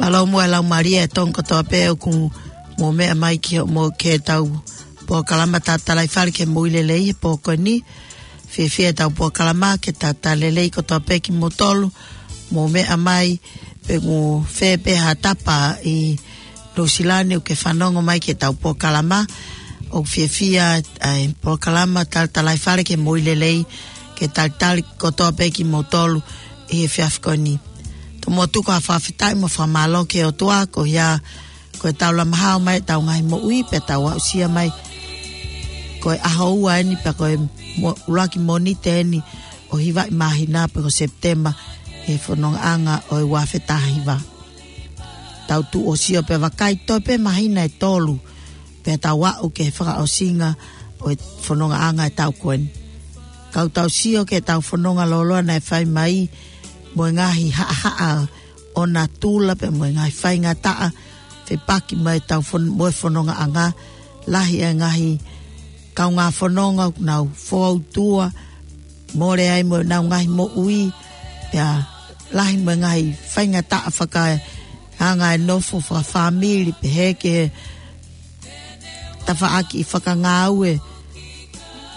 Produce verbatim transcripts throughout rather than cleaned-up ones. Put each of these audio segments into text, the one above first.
Mālō muʻa e laumālie ʻa e Tonga kotoa pē ʻoku mou meʻa mai ki hoʻomou ke tau polokalama Tatalaifale ki he Moʻui Lelei he pō ko eni. Fiefia ʻetau polokalama ke talitali lelei kotoa pē kimoutolu. Mou meʻa mai pe ʻoku fē pē ha tapa ʻi Nuʻusila ni ʻoku ke fanongo mai ki heʻetau polokalama. ʻOku fiefia ʻa e polokalama Tatalaifale ki he Moʻui Lelei ke talitali kotoa pē kimoutolu ʻi he efiafi ko eni. Tomuʻa tuku ha fakafetaʻi mo fakamālō ki he ʻOtua koeʻuhi ko ʻetau lama hao mai ʻetau ngaahi moʻui pea tau aʻusia mai ko e ʻaho ua eni pea ko e mo-, ʻuluaki Mōnite eni ʻo e hiva ʻi māhina pea ko Sepitema he fonongaʻanga ʻo e ua afe taha hiva. Tau tuʻu ʻo sio pea vakai toe pē māhina ʻe tolu pea tau aʻu ki he fakaʻosinga ʻo e fonongaʻanga ʻetau ko eni. Kau tau sio ki heʻetau fononga lōloa naʻe fai mai mo e ngaahi haʻahaʻa ʻo natula pea mo e ngaahi faingataʻa fepaki mai ʻetau fon-, mo e fonongaʻanga. Lahi e ngaahi kaungā fononga ʻoku nau fōutua, mole ai mo ʻenau ngaahi moʻui, pea lahi mo e ngaahi faingataʻa fakaanga e nofo fakafāmili, pehē ki he tafaʻaki fakangāue,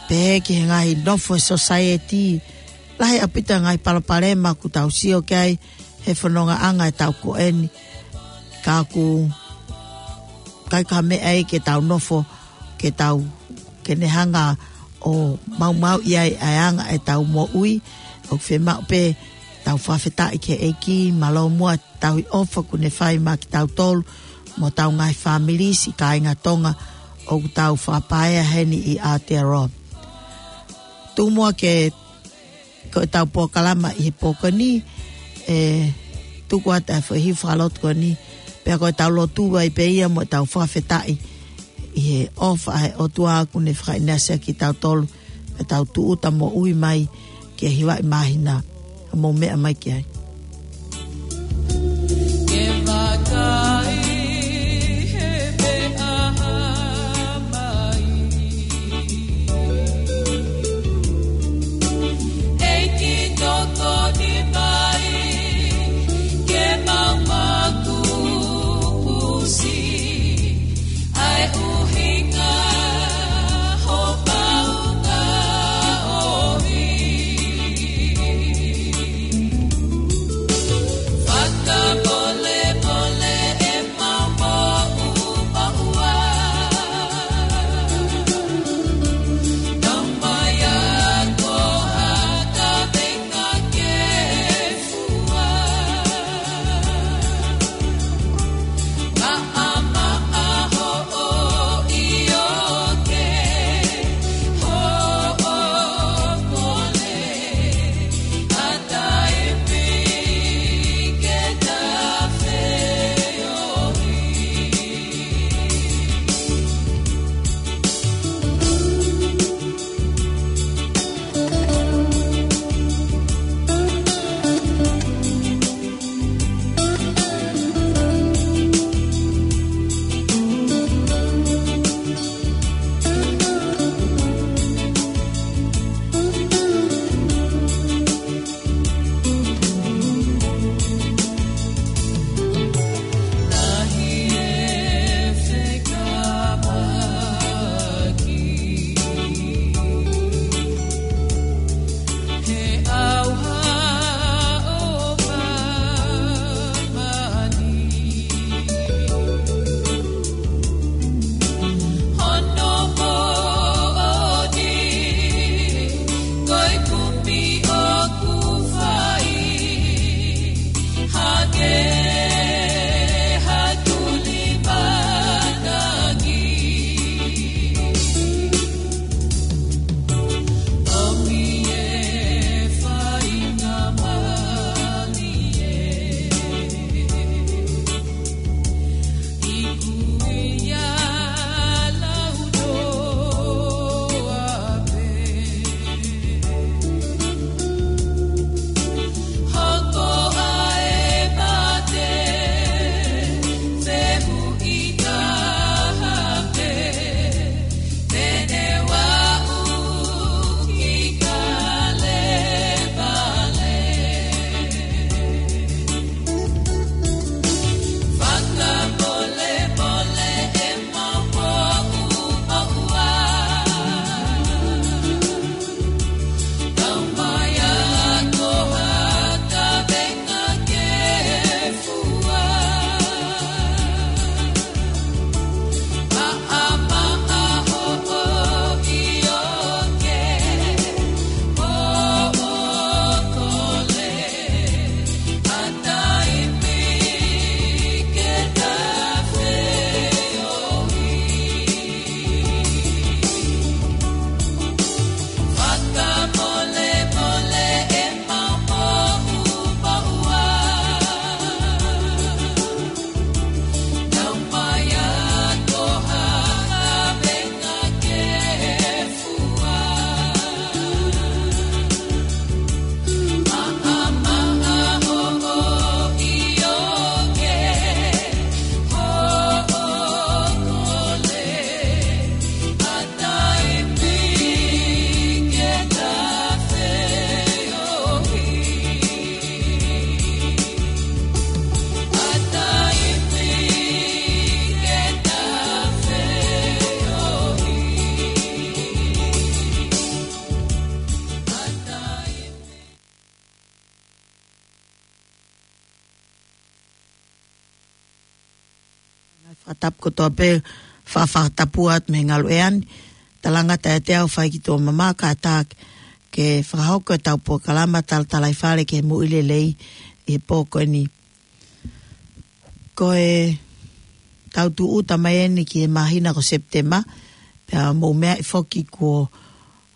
pehē ki he ngaahi nofo e sōsaieti. Lahi ʻaupito e ngaahi palopalema ʻoku tau sio ki ai he fonongaʻanga ʻetau ko eni. Ka ʻoku ʻikai ko ha meʻa ia ke tau nofo, ke tau, ke ne hanga ʻo maumauʻi ai ʻa e anga ʻetau moʻui. ʻOku fiemaʻu pē ʻetau fakafetaʻi ki he ʻEiki, mālō muʻa e tauhi ʻofa kuo ne fai maʻa kitautolu mo hotau ngaahi fāmili, siʻi kāinga Tonga ʻoku tau fakapaea heni ʻi Aotearoa. Tuku muʻa ke, ko ʻetau polokalama ʻi he pō ko eni, ʻe tuku atu e foʻi hiva fakalotu ko eni, pea ko ʻetau lotu ai pē ia mo ʻetau fakafetaʻi ʻi he ʻofa ʻa e ʻOtua kuo ne fakaʻinasi kitautolu, pea tau tūʻuta moʻui mai ki he hiva ʻi māhina. Mou meʻa mai ki ai. Ke vakai he meʻa mai. ʻEiki tokoni mai, ke mau makupusi, ʻa e ʻuhinga ho paunga ʻohi. Fakatapu kotoa pē, fa- fakatapu atu mei he ngaluʻea ni. Talangata ʻiate au Faikituʻa Mama, kātaki ke fakahoko ʻetau polokalama talatalaifale ki he moʻui lelei ʻi he pō ko eni. Ko e tau tūʻuta mai eni ki he māhina ko Sepitema, pea mou meaʻi foki kuo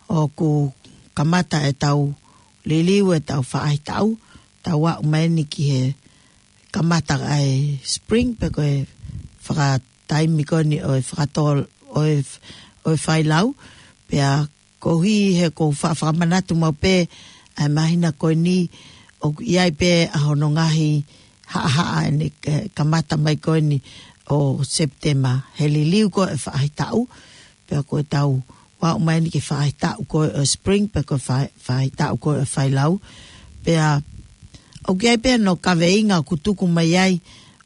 ʻoku kamata ʻetau liliu ʻetau faʻahitaʻu, tau aʻu mai eni ki he kamata ʻa e spring, pe ko e fakataimi ko eni ʻo e fakatō-, ʻo e, ʻo e failau, pea koeʻuhi he ʻoku ou fa-, fakamanatu maʻu pē ʻa e māhina ko eni ʻoku ʻi ai pē ʻa hono ngaahi haʻahaʻa ʻene, eh, kamata mai ko eni ʻo Sepitema, he liliu ko e faʻahitaʻu, pea ko ʻetau aʻu mai eni ki he faʻahitaʻu ko e ʻo e spring, pe ko e fa-, faʻahitaʻu ko e ʻo e failau. Pea ʻoku ʻi ai pē hono kaveinga ʻoku tuku mai ai,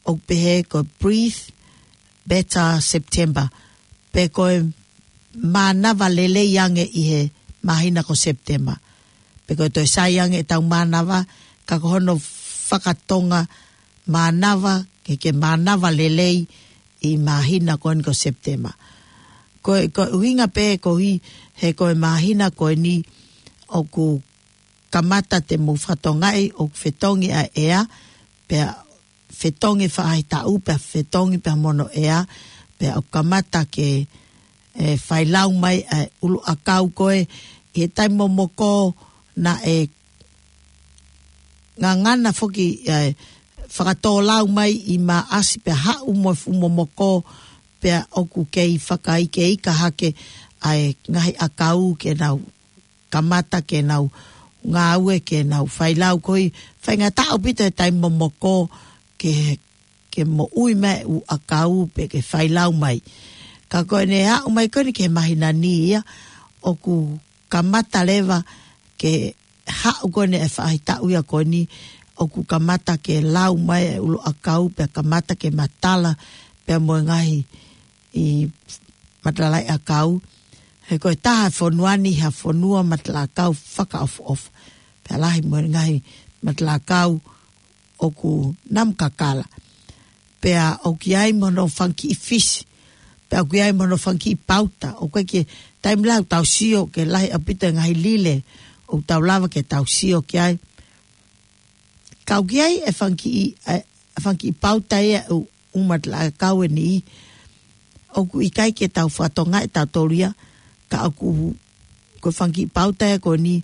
ʻoku pehē ko e Breathe Better September, pe ko e mānava lelei ange ʻi he māhina ko Sepitema. Pe ko e toe sai ange ʻetau mānava, ka ko hono fakatonga mānava, ke, ke mānava lelei ʻi māhina ko eni ko Sepitema. Ko e, ko e ʻuhinga pē koeʻuhi he ko e māhina ko eni ʻoku kamata te mou fakatokangaʻi ʻoku fetongi ʻa e ʻea, pea fetongi faʻahitaʻu, pea fetongi pea mo hono ʻea, pea ʻoku kamata ke, e, failau mai ʻa e ʻuluʻakau ko ē, ʻi he taimi momoko naʻe ngangana foki, e, fakatōlau mai ʻi Maʻasi pea haʻu mo e fuʻu momoko, pea ʻoku kei fakaikeika hake ʻa e ngaahi ʻakau ke nau kamata ke nau ngāue ke nau failau koeʻuhi, faingataʻa ʻaupito he taimi momoko ke, ke moʻui mai e ʻuluʻakau pe ke failau mai. Ka ko ʻene aʻu mai ko eni ki he māhina ni ia, ʻoku kamata leva ke haʻu ko eni e faʻahitaʻu ia ko eni, ʻoku kamata ke lau mai e ʻuluʻakau pea kamata ke matala pea mo e ngaahi ʻi matalaʻiʻakau. He ko e taha e fonua ni ha fonua matalaʻiʻakau fakaʻofoʻofa. Pea lahi mo e ngaahi matalaʻiʻakau ʻoku namu kakala. Pea ʻoku ʻi ai mo hono fanga kiʻi fisi. Pea ʻoku ʻi ai mo hono fanga kiʻi pauta. ʻOku ʻi ai ki he taimi lahi ʻoku tau sio ke lahi ʻaupito e ngaahi lile ʻoku tau lava ke tau sio ki ai. Ka ʻoku ʻi ai e fanga kiʻi, e, e fanga kiʻi pauta ia ʻo e ʻū matalaʻiʻakau ʻe niʻihi. ʻOku ʻikai ke tau fakatokangaʻi ʻe tautolu ia, ka ʻoku, ko e fanga kiʻi pauta ia ko eni,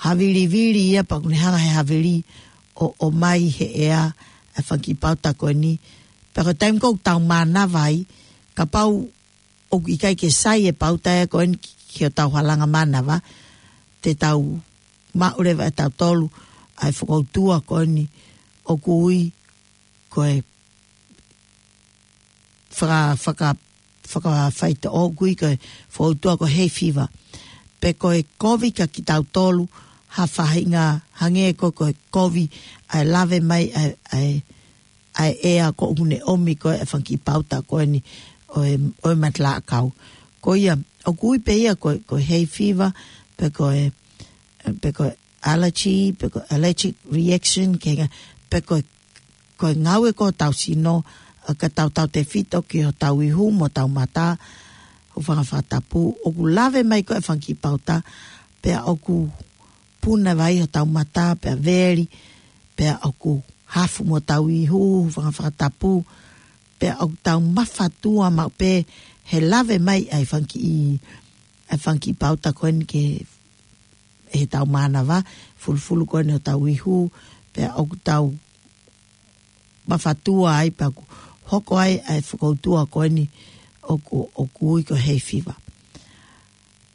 havilivili ia pea ʻoku ne hanga he havili ʻo, ʻomai he ʻea e fanga kiʻi pauta ko eni. Pea ko e taimi ko ē ʻoku tau mānava ai, kapau ʻoku ʻikai ke sai e pauta ia ko eni ki, ki hotau halanga mānava, te tau maʻu leva ʻe tautolu ʻa e fokoutua ko eni ʻoku ui ko e faka-, faka-, fakafaitoʻo ʻoku ui ko e fokoutua ko e hay fever. Pe ko e kovi kia kitautolu ha faʻahinga hangē ko, ko e kovi ʻa e lave mai ʻa e, ʻa e ʻa e ʻea ko ʻoku ne ʻomi ko e fanga kiʻi pauta ko eni ʻo e, ʻo e matalaʻiʻakau. Ko ia, ʻoku ui pē ia ko, ko e hay fever, pe ko e, pe ko e allergy, pe ko e allergic reaction, ke nga, pe ko e, ko e ngāue ko hotau sino, ʻa, ka tau tautefito ki hotau ihu mo hotau mata, hūfanga he fakatapu, ʻoku lave mai ko e fanga kiʻi pauta, pea ʻoku puna vai hotau mata, pea veli, pea ʻoku hafu mo hotau ihu, hūfanga he fakatapu, pea ʻoku tau mafatua maʻu pē he lave mai ʻa e fanga kiʻi, ʻa e fanga kiʻi pauta ko eni ki he, heʻetau mānava, fulufulu ko eni hotau ihu, pea ʻoku tau mafatua ai pea ʻoku hoko ai ʻa e fokoutua ko eni ʻoku, ʻoku ui ko e hay fever.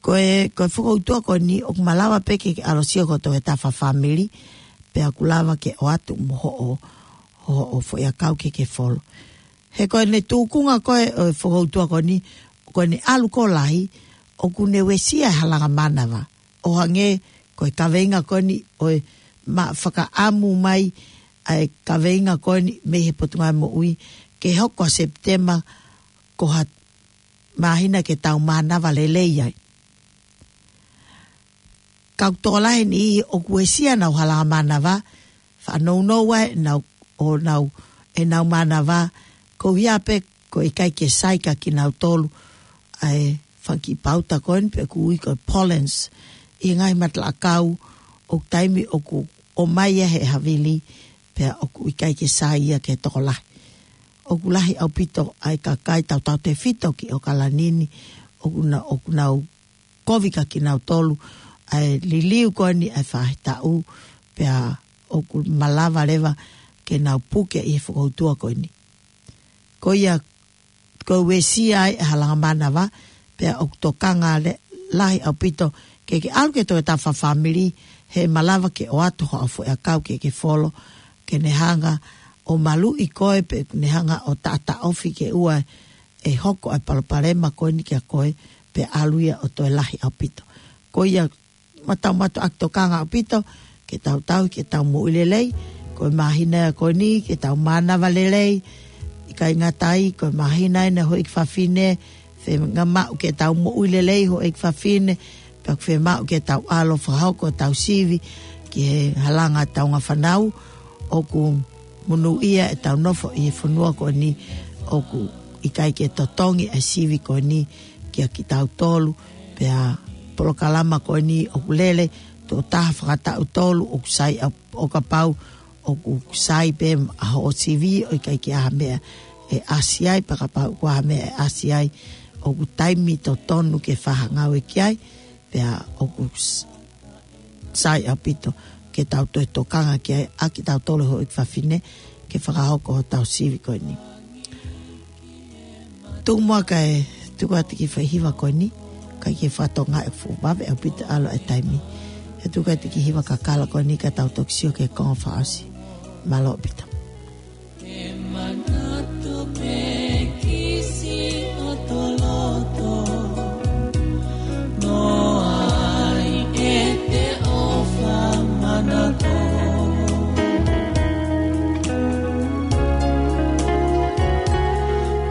Ko e, ko e fokoutua ko eni ʻoku malava pē ke, ke ʻalu ʻo sio ko e toe tafa fāmili, pea ʻoku lava ke ʻoatu mo hoʻo, hoʻo foʻiʻakau ke ke folo. He ko ʻene tuʻunga ko ē ʻo e fokoutua ko eni, ko ʻene ʻalu ko ē ʻo lahi, ʻoku ne uesia e halanga mānava. ʻO hangē ko e kaveinga ko eni ʻo e ma-, fakaʻamu mai ʻa e kaveinga ko eni mei he Potungāue Moʻui, ke hoko ʻa Sepitema ko ha māhina ke tau mānava lelei ai. Ka ʻoku tokolahi e niʻihi ʻoku uesia ʻenau halanga mānava, faʻa nounou ai ʻenau, ʻo nau, ʻenau mānava, koeʻuhi pē ʻoku ʻikai ke sai kia kinautolu ʻa e fanga kiʻi pauta ko eni pe ʻoku ui ko e pollens ʻi he ngaahi matalaʻakau ʻoku taimi ʻoku ʻomai ia he havili pea ʻoku ʻikai ke sai ia ki he tokolahi. ʻOku lahi ʻaupito ʻa e kakai tautautefito ki ʻOkalani ni ʻoku na, ʻoku nau kovi kia kinautolu ʻa e liliu ko eni ʻa e faʻahitaʻu pea ʻoku malava leva ke nau puke ʻi he fokoutua ko eni. Ko ia ko e uesia ai ʻa e halanga mānava pea ʻoku tokanga le-, lahi ʻaupito ke ke ʻalu ke toe tau fāmili he malava ke ʻoatu hoʻo foʻiʻakau ke ke folo ke ne hanga ʻo maluʻi koe pe ne hanga ʻo taʻataʻofi ke ʻoua ʻe hoko ʻa e palopalema ko eni kia koe pea ʻalu ia ʻo toe lahi ʻaupito. Ko ia ʻoku tau mātuʻaki tokanga ʻaupito ke tau tauhi ke tau moʻui lelei. Ko e māhina ko eni ke tau mānava lelei. ʻIkai ngata ai ko e māhina ʻeni houʻeiki fafine, fiemaʻu ke tau moʻui lelei houʻeiki fafine, pea fiemaʻu ke tau ʻalu ʻo fakahoko ʻetau sivi ki he halanga ʻetau ngaahi fānau. ʻOku monūʻia ʻetau nofo ʻi he fonua ko eni ʻoku ʻikai ke totongi ʻa e sivi ko eni kia kitautolu, pea polokalama ko eni ʻoku lele tuʻo taha fakataʻu tolu ʻoku sai ʻa, ʻo kapau ʻoku sai pē ʻa hoʻo sivi ʻo ʻikai ke ʻi ai ha meʻa ʻe ʻasi ai, pea kapau ʻoku ʻi ai ha meʻa ʻe ʻasi ai ʻoku taimi totonu ke fakangāue ki ai, pea ʻoku s-, sai ʻaupito ke tau toe tokanga ki ai ʻa kitautolu houʻeiki fafine ke fakahoko hotau sivi ko eni. Tuku muʻa kae tuku atu e kiʻi foʻi hiva ko eni, kae ke fakatokangaʻi ʻoku fuʻu vave ʻaupito ʻalu ʻa e taimi. He tuku atu e kiʻi hiva kakala ko eni ka tau toki sio ki he konga fakaʻosi. Mālō ʻaupito. Ke manatu pē kisi ʻo toloto, noa ai ʻete ʻofa manako.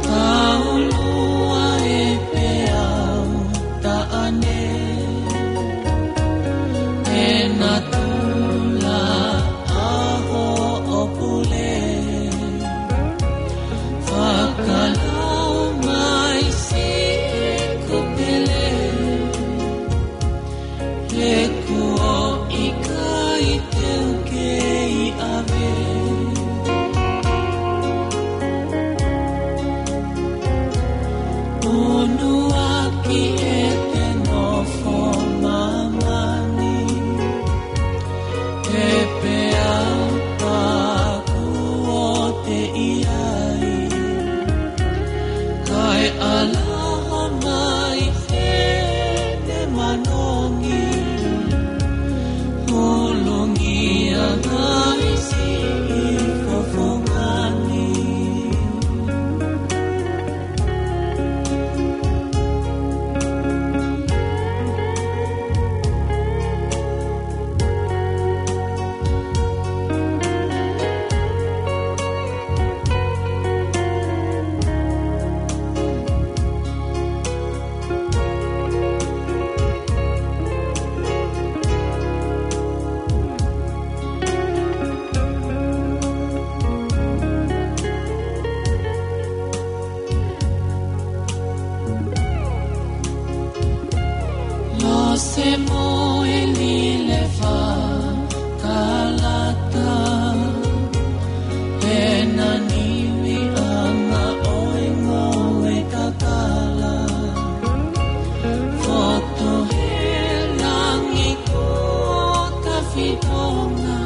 Kaulua e peau taʻane, e natula ʻa hoʻo pule. Fakalau mai siʻi kupele, he kuo ʻikai te u kei ʻave. Unuaki ʻete nofo māmani, he peau pāku ʻoku te ʻi ai. Kae ʻalaha mai ʻene manongi, hulungia ai siʻi fofonga ni. Lose mo e lile fakalata, he naʻa niʻihi ʻa ngoue kakala. Fotu he langi kuo ka fitonga,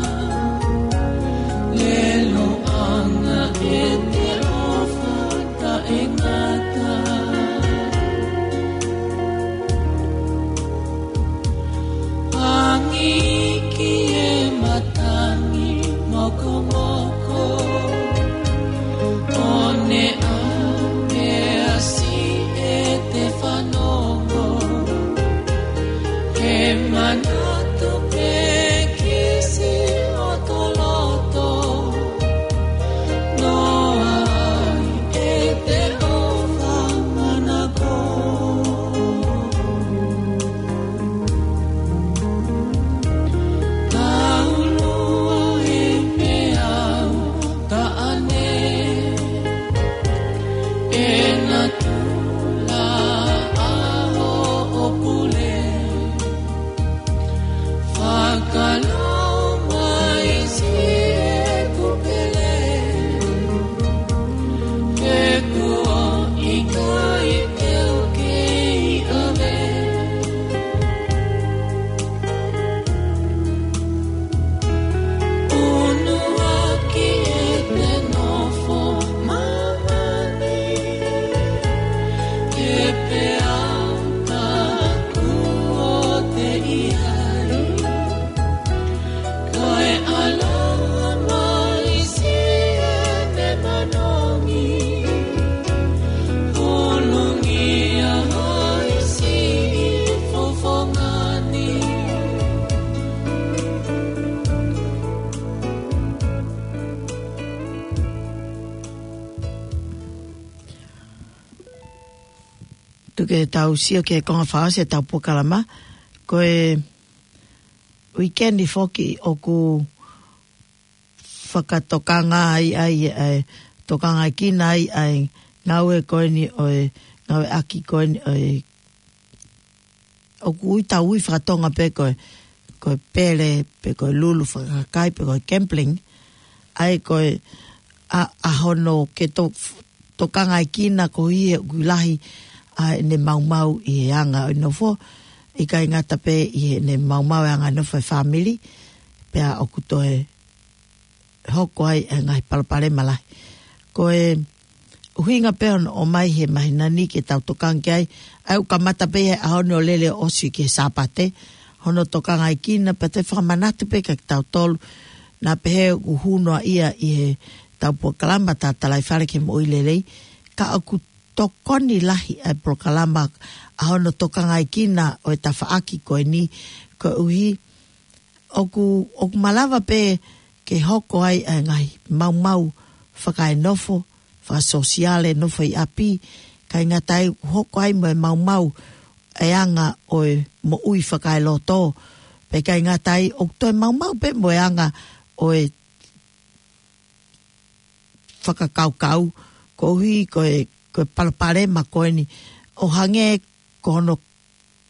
leluʻanga ʻete ʻofa taʻengata. Angi ki he matangi mokomoko, ʻo ne ʻave ʻa siʻete fanongo. Ke manatu pē kisi ʻo toloto, noa ai ʻete ʻofa manako. Kaulua e peau Ke tau sio ki he konga fakaʻosi ʻetau polokalama, ko e uike ni foki ʻoku fakatokanga ai, ai, ʻa e tokangaʻi kinaʻi ʻa e ngāue ko eni ʻo e, ngāueʻaki ko eni ʻo e, ʻoku ui, tau ui fakatonga pē ko e, ko e pele, pe ko e lulu fakakakai, pe ko e gambling, ʻa e ko e ʻa, ʻa hono ke to-, tokangaʻi kinaʻi koeʻuhi he ʻoku lahi ʻa ʻene maumau ʻi he anga ʻo e nofo, ʻikai ngata pē ʻi heʻene maumau e anga ʻo e nofo e fāmili, pea ʻoku toe hoko ai e ngaahi palopalema lahi. Ko e ʻuhinga pē hono ʻomai he māhina ni ke tau tokanga ki ai, ʻa ia ʻoku kamata pē he ʻaho ni ʻo lele ʻo ʻosi ki he Sāpate, hono tokangaʻi kinaʻi, pea te u fakamanatu pē kia kitautolu, naʻa pehē ʻoku hū noa ia ʻi heʻetau polokalama Tatalaifale ki he Moʻui Lelei, ka ʻoku tokoni lahi ʻa e polokalama ʻa hono tokangaʻi kinaʻi ʻo e tafaʻaki ko eni, koeʻuhi ʻoku, ʻoku malava pē ke hoko ai ʻa e ngaahi maumau fakaenofo, fakasōsiale, nofo ʻi ʻapi, ʻikai ngata ai, hoko ai mo e maumau e anga ʻo e moʻui fakaeloto, pea ʻikai ngata ai, ʻoku toe maumau pē mo e anga ʻo e fakakaukau, koeʻuhi ko e, ko e palopalema ko eni, ʻo hangē ko hono,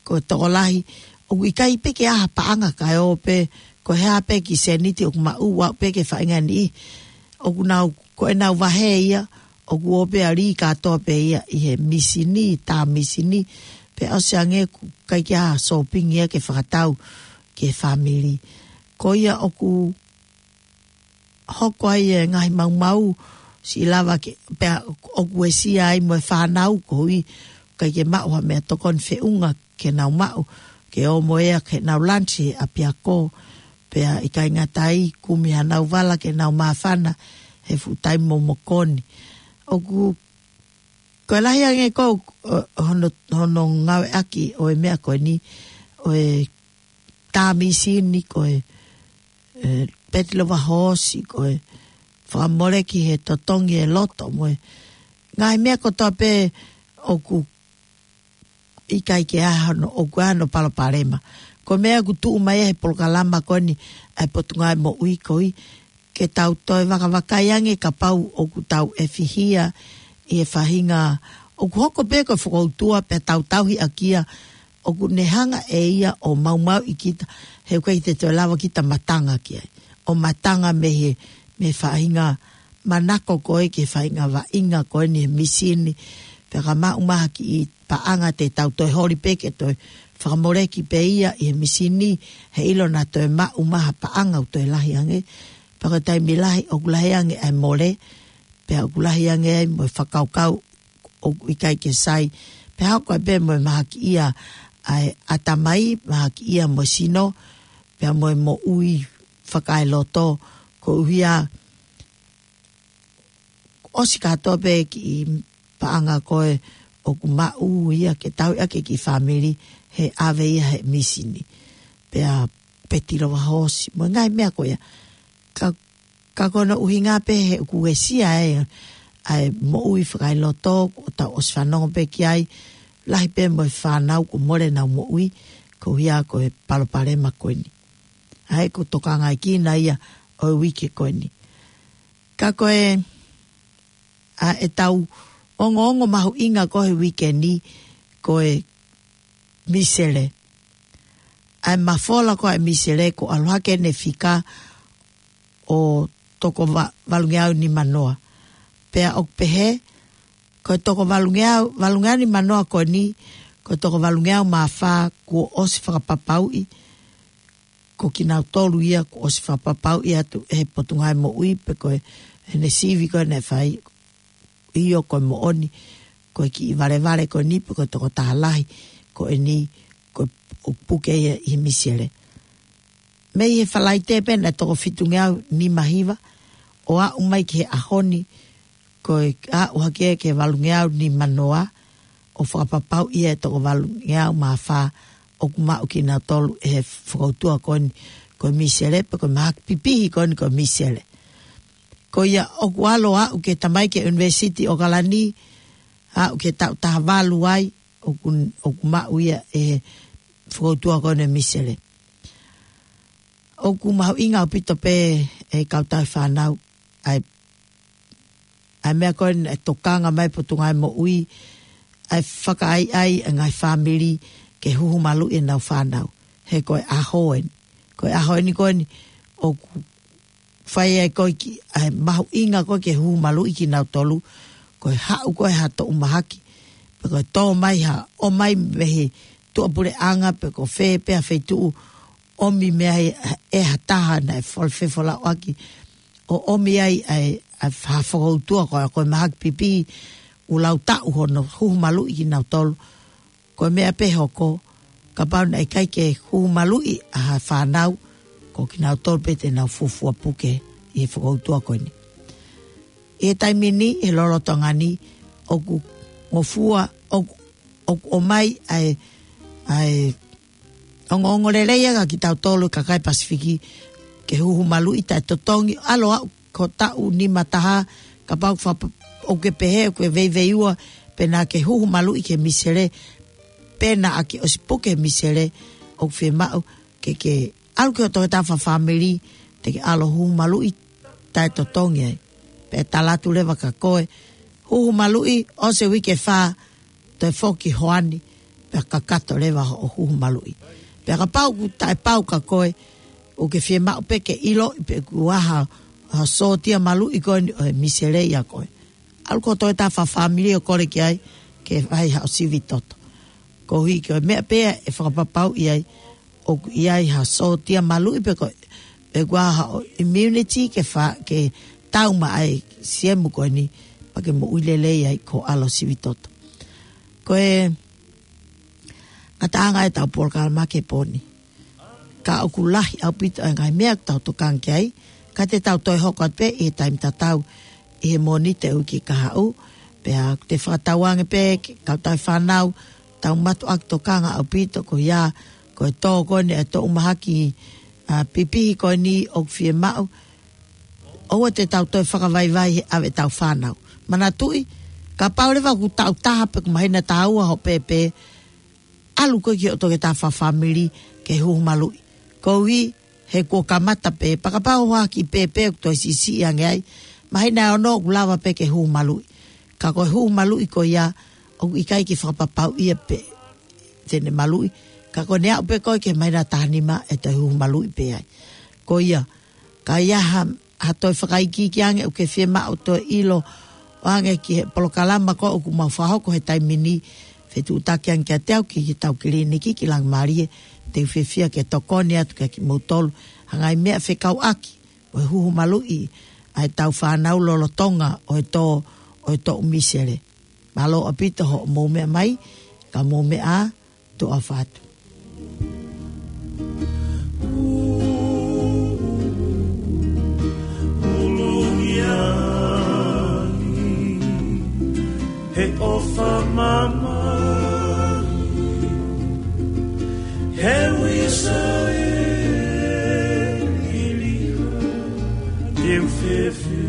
ko e tokolahi, ʻoku ʻikai pē ke ʻi ai ha paʻanga kae ʻoua pē, ko e hā pē kiʻi sēniti ʻoku maʻu, ʻoua pē ke faʻahinga niʻihi. ʻOku nau, ko ʻenau vahe ia, ʻoku ō pē ʻo lī kātoa pē ia ʻi he mīsini, tā mīsini, pea ʻosi ange ʻoku ʻikai ke ʻi ai ha sōpingi ia ke fakatau ki he fāmili. Ko ia ʻoku hoko ai e ngaahi maumau, siʻi lava ke, pea ʻoku uesia ai mo e fānau koeʻuhi ʻikai ke maʻu ha meʻatokoni feʻunga ke nau maʻu, ke ō mo ia ke nau lunch he ʻapiako, pea ʻikai ngata ai, kumi hanau vala ke nau māfana he fuʻu taimi momoko ni. ʻOku, ko e lahi ange ko, ʻo, hono, hono ngāueʻaki ʻo e meʻa ko eni, ʻo e tā mīsini, ko e, e, peti lova hoosi, ko e fakamoleki he totongi e loto mo e ngaahi meʻa kotoa pē ʻoku ʻikai ke ʻi ai hano, ʻoku ʻi ai hano palopalema. Ko e meʻa ʻoku tuʻu mai he polokalama ko eni ʻa e Potungāue Moʻui koeʻuhi ke tau toe vakavakai ange kapau ʻoku tau ʻefihia ʻi he faʻahinga ʻoku hoko pē ko e fokoutua pea tau tauhi ʻaki ia, ʻoku ne hanga ʻe ia ʻo maumauʻi kita, he ʻoku ʻikai te toe lava kita matanga ki ai. ʻO matanga mei he, mei he faʻahinga manako ko ē ki he faʻahinga vaʻinga ko eni he mīsini, pea ka maʻu mai ha kiʻi paʻanga te tau toe holi pē ke toe fakamoleki pē ia ʻi he mīsini, he ʻilo naʻa toe maʻu mai ha paʻanga ʻoku toe lahi ange, pea ko e taimi lahi, ʻoku lahi ange ʻa e mole, pea ʻoku lahi ange ai mo e fakakaukau ʻoku ʻikai ke sai, pea hoko ai pē mo e mahakiʻia ʻa e ʻatamai, mahakiʻia mo e sino, pea mo e moʻui fakaeloto, koeʻuhi ʻoku ʻosi kātoa pē kiʻi paʻanga ko ē ʻoku maʻu ia ke tauhi ʻaki e kiʻi fāmili he ʻave ia he mīsini. Pea peti lova hoosi, mo e ngaahi meʻa ko ia. Ka, ka ko hono ʻuhinga pē he ʻoku uesia e, ʻa e moʻui fakaeloto, ʻoku tau ʻosi fanongo pē ki ai, lahi pē mo e fānau kuo mole ʻenau moʻui, koeʻuhi ko e palopalema ko eni. ʻA ia ʻoku tokangaʻi kinaʻi ia ʻo e uike ko eni. Ka ko e, ʻa ʻetau ongoongo mahuʻinga ko ē he uike ni, ko e mīsele. ʻA e mafola ko ē ʻa e mīsele ʻoku ʻalu hake ʻene fika ʻo toko va-, valungeau nimanoa. Pea ʻoku pehē, ko e toko valungeau, valungeau nimanoa ko eni, ko e toko valungeau mā fā kuo ʻosi fakapapauʻi, ko kinautolu ia kuo ʻosi fakapapauʻi atu ʻe he Potungāue Moʻui pe ko e, ʻene sivi ko ē naʻe fai, ʻio ko e moʻoni, ko e kiʻi valevale ko eni pe ko e tokotaha lahi ko eni, ko e ʻoku puke ia ʻi he mīsele. Mei he Falaite pē naʻe toko fitungeau nima hiva, ʻo aʻu mai ki he ʻaho ni, ko e aʻu hake ki he valungeau nimanoa, ʻo fakapapauʻi ʻe toko valungeau mā fā ʻoku maʻu kinautolu ʻe he fokoutua ko eni ko e mīsele, pe ko e mahaki pipihi ko eni ko e mīsele. Ko ia ʻoku ʻalu ʻo aʻu ki he tamai ki he ʻUnivēsiti ʻAokalani, aʻu ki he taʻu taha valu ai, ʻoku, ʻoku maʻu ia ʻe he fokoutua ko eni ʻo e misele. ʻOku mahuʻinga ʻaupito pē ʻe he kau tauhi fānau ʻa e, ʻa e meʻa ko eni ʻa e tokanga mai Potungāue Moʻui, ʻa e fakaʻaiʻai ʻa e ngaahi fāmili ke huhu maluʻi ʻenau fānau. He ko e ʻaho eni. Ko e ʻaho eni ko eni ʻoku fai ai ko ē ki, ʻa e mahuʻinga ko ē ke huhu maluʻi kinautolu, ko e haʻu ko ē ha toʻu mahaki, pe ko e tō mai ha, ʻomai mei he tuʻapuleʻanga, pe ko fē pē ha feituʻu, ʻomi mei ai ʻe ha taha naʻe fol-, fefolauʻaki, ʻo ʻomi ai ʻa e, ʻa e fā fokoutua ko ē, ko e mahaki pipi, ʻoku lau taʻu hono huhu maluʻi kinautolu, ko e meʻa pē hoko, kapau naʻe ʻikai ke huhu maluʻi ʻa ha fānau, ko kinautolu pē te nau fuofua puke ʻi he fokoutua ko eni. ʻI he taimi ni, he lolotonga ni, ʻoku ngofua, ʻoku, ʻoku ʻomai ʻa e, ʻa e ongoongo lelei ia kia kitautolu kakai Pasifiki, ke huhu maluʻi taʻetotongi, ʻalu ʻo aʻu ki he taʻu nima taha, kapau fa-, ʻoku ke pehē, ʻoku ke veiveiua, pe naʻa ke huhu maluʻi ki he misele, pe naʻa ke ʻosi puke he misele, ʻoku fiemaʻu ke, ke ʻalu ki hoʻo toketā fakafāmili, te ke ʻalu ʻo huhu maluʻi taʻetotongi ai. Pea talaatu leva kia koe, huhu maluʻi, ʻosi e uike ʻe fā, toe foki hoani, pea kakato leva hoʻo huhu maluʻi. Pea kapau ʻoku taʻepau kia koe, ʻoku ke fiemaʻu pē ke ʻiloʻi pe kuo ʻi ai ha, ha sōtia maluʻi ko eni ʻo e misele ʻia koe, ʻalu ki hoʻo toketā fakafāmili ʻo kole ki ai, ke fai haʻo sivi toto. Koeʻuhi ko e meʻa pē ia ʻe fakapapauʻi ai, ʻoku ʻi ai ha sōtia maluʻi pe ko, pe kuo ʻi ai haʻo immunity ke fa-, ke tau mai ai siemu ko eni, pea ke moʻui lelei ai ko e ʻalu ʻo sivi toto. Ko e ngataʻanga ʻetau polokalama ki he pō ni. Ka ʻoku lahi ʻaupito ʻa e ngaahi meʻa ʻoku tau tokanga ki ai, ka te tau toe hoko atu pē ʻi he taimi tatau ʻi he Mōnite uike kahaʻu, pea te fakatauange pē ki he kau tauhi fānau, tau mātuʻaki tokanga ʻaupito ko ia, ko e tō ko eni ʻa e toʻu mahaki, ʻa, pipihi ko eni ʻoku fiemaʻu, ʻoua te tau toe fakavaivai he ʻave ʻetau fānau. Manatuʻi, kapau leva ʻoku taʻu taha pe ʻoku māhina taha ua hoʻo pēpē, ʻalu koe ki hoʻo toketā fakafāmili ke huhu maluʻi. Koeʻuhi, he kuo kamata pē, pea kapau ha kiʻi pēpē ʻoku toe siʻisiʻi ange ai, māhina ʻe ono ʻoku lava pē ke huhu maluʻi. Ka ko e huhu maluʻi ko ia, ʻoku ʻikai ke fakapapauʻi ia pe te ne maluʻi. Ka ko ʻene aʻu pē ko ē ki he māhina taha nima ʻe toe huhu maluʻi pē ai. Ko ia, ka ʻi ai ha, ha toe fakaikiiki ange ʻoku ke fiemaʻu toe ʻilo ʻo ange ki he polokalama ko ē ʻoku mau fakahoko he taimi ni, fetuʻutaki ange kiate au ki, ki heʻetau kiliniki ki Langimalie, te u fiefia ke tokoni atu kiate kimoutolu, ha ngaahi meʻa fekauʻaki mo e huhu maluʻi ʻa ʻetau fānau lolotonga ʻo e tō, ʻo e toʻu misele. Mālō ʻaupito hoʻomou meʻa mai, ka mou meʻa ā, tuʻa ʻofa atu. He ʻofa mamahi, he uisa ʻe liliha, te u fefe.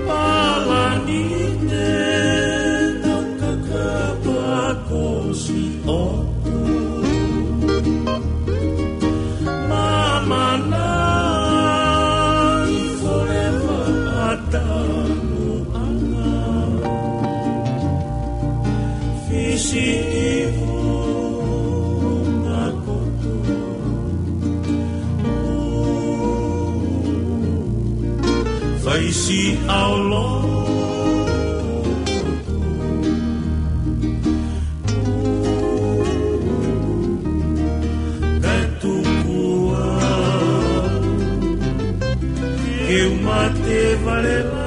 Palani te tau kakapa ko siʻoku. Mamana i forever ʻatanu anga. Fisi i vunga koto. Faisi aolo. Katukua. Ke u mate vale la.